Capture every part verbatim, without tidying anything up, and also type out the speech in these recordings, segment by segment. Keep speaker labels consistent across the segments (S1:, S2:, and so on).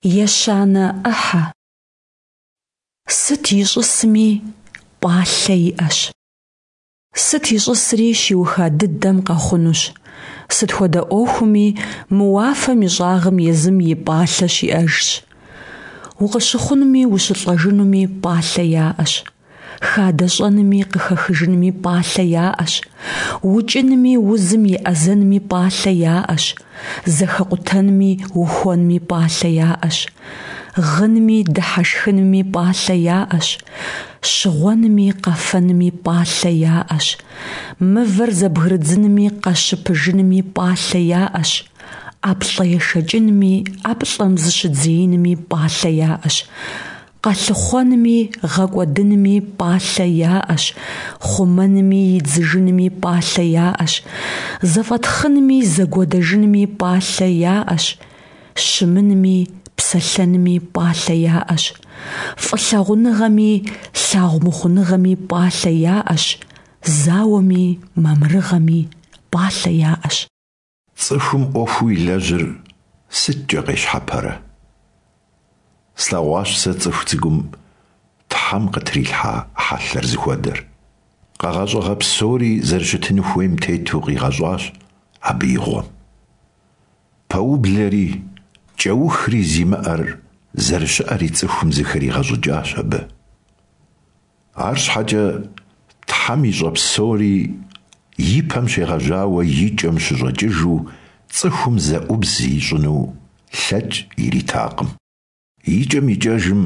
S1: Ещанэ ӏыхьэ. Сыт ищӏысми пӏалъэ иӏэщ. Сыт ищӏысри щиуха дыдэм къэхъунущ. Сыт хуэдэ ӏуэхуми мы уафэм и щӏагъым езым и пӏалъэ щиӏэжщ. Укъыщыхъунуми ущылӏэжынуми пӏалъэ яӏэщ. Хадэ щӏэнми къыхэхыжынми пӏалъэ яӏэщ. Укӏынми узым еӏэзэнми пӏалъэ яӏэщ. Зэхэкъутэнми ухуэнми пӏалъэ яӏэщ. Гъынми дыхьэшхынми пӏалъэ яӏэщ. Щыгъуэнми къэфэнми пӏалъэ яӏэщ. Мывэр зэбгрыдзынми къэщыпыжынми пӏалъэ яӏэщ. ӏэплӏэ ешэкӏынми ӏэплӏэм зыщыдзеинми пӏалъэ яӏэщ. Къэлъыхъуэнми гъэкӏуэдынми пӏалъэ яӏэщ. Хъумэнми идзыжынми пӏалъэ яӏэщ. Зэфӏэтхъынми зэгуэдэжынми пӏалъэ яӏэщ. Щымынми псэлъэнми пӏалъэ яӏэщ. Фӏылъагъуныгъэми лъагъумыхъуныгъэми пӏалъэ яӏэщ. Зауэми мамырыгъэми пӏалъэ яӏэщ.
S2: Цӏыхум ӏуэхуу илэжьыр сыткӏэ къещхьэпэрэ? Слъэгъуащ сэ цӏыху цӏыкӏум Тхьэм къытрилъхьа хьэлъэр зыхуэдэр. Къэгъэщӏыгъэ псори зэрыщытын хуейм тету къигъэщӏащ абы и гъуэм. Пэублэри кӏэухри зимыӏэр зэрыщыӏэри цӏыхум зыхригъэщӏыкӏащ абы. Арщхьэкӏэ Тхьэм ищӏэ псори и пэм щегъэжьауэ и кӏэм щыщӏэкӏыжу цӏыхум зэӏубз ищӏыну лъэкӏ иритакъым. Икӏэм-икӏэжым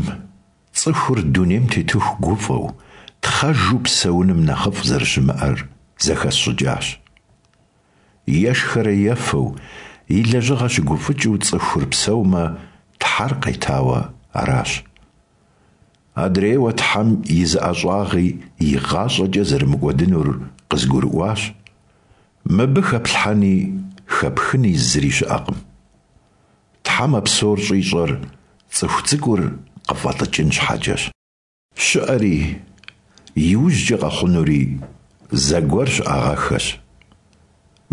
S2: цӏыхур дунейм тетыху гуфӏэу, тхъэжу псэуным нэхъыфӏ зэрыщымыӏэр зэхэсщӏыкӏащ. Ешхэрэ ефэу, и лэжьыгъэ щыгуфӏыкӏыу цӏыхур псэумэ, Тхьэр къетауэ аращ. Адрейуэ Тхьэм и зы ӏэщӏагъи игъащӏэкӏэ зэрымыкӏуэдынур къызгурыӏуащ. Мыбы хэплъхьэни хэпхыни зыри щыӏэкъым. Тхьэм а псор щӏищӏэр цӏыху цӏыкӏур къыфӏэлӏыкӏын щхьэкӏэщ. Щыӏэри, иужькӏэ къэхъунури зэгуэр щыӏагъэххэщ.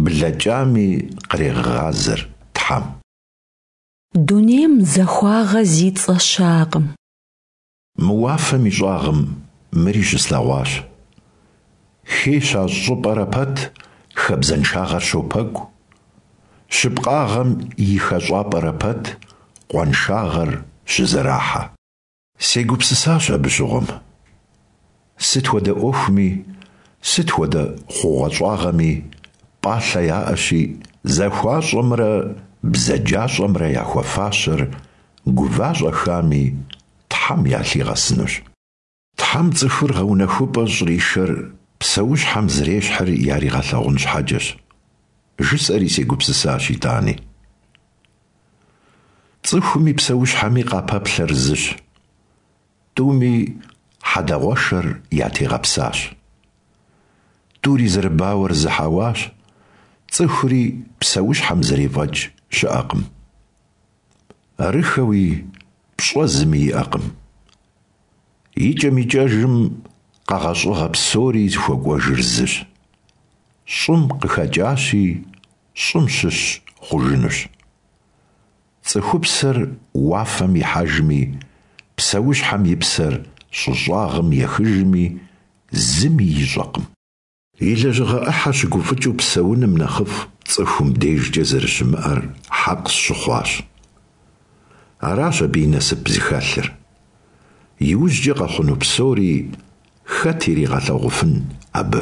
S2: Блэкӏами кърегъэгъазэр Тхьэм.
S1: Дунейм захуагъэ зи цӏэ щыӏэкъым.
S2: Мы уафэм и щӏагъым мыри щыслъэгъуащ. Хей щащӏ щӏыпӏэрэ пэт хабзэншагъэр щопэкӏу. Щыпкъагъэм и хэщӏапӏэрэ пэт къуаншагъэр щызэрахьэ. Сегупсысащ абы щыгъуэм. Сыт хуэдэ ӏуэхуми, сыт хуэдэ хъугъуэщӏагъэми пӏалъэ яӏэщи, захуащӏэмрэ бзаджащӏэмрэ яхуэфащэр гува-щӏэхами Тхьэм ялъигъэсынущ. Тхьэм цӏыхур гъэунэхупӏэ щӏришэр псэущхьэм зэрещхьыр яригъэлъагъун щхьэкӏэщ, жысӏэри сегупсысащ итӏани. Цӏыхуми псэущхьэми къапэплъэр зыщ. Тӏуми хьэдэгъуэшэр ятегъэпсащ. Тӏури зэрыбауэр зы хьэуащ, цӏыхури псэущхьэм зэрефӏэкӏ щыӏэкъым. Арыххэуи пщӏэ зыми иӏэкъым. Икӏэм-икӏэжым къэгъэщӏыгъэ псори зыхуэкӏуэжыр зыщ. Щӏым къыхэкӏащи, щӏым щыщ хъужынущ. Цӏыхупсэр уафэм ихьэжми, псэущхьэм и псэр щӏы щӏагъым ехыжми, зыми ищӏэкъым. И лэжьыгъэ ӏыхьэ щыгуфӏыкӏыу псэуным нэхъыфӏ цӏыхум дежкӏэ зэрыщымыӏэр хьэкъ сщыхъуащ. Аращ абы и насып зыхэлъыр. Иужькӏэ къэхъуну псори хэт иригъэлъэгъуфын абы?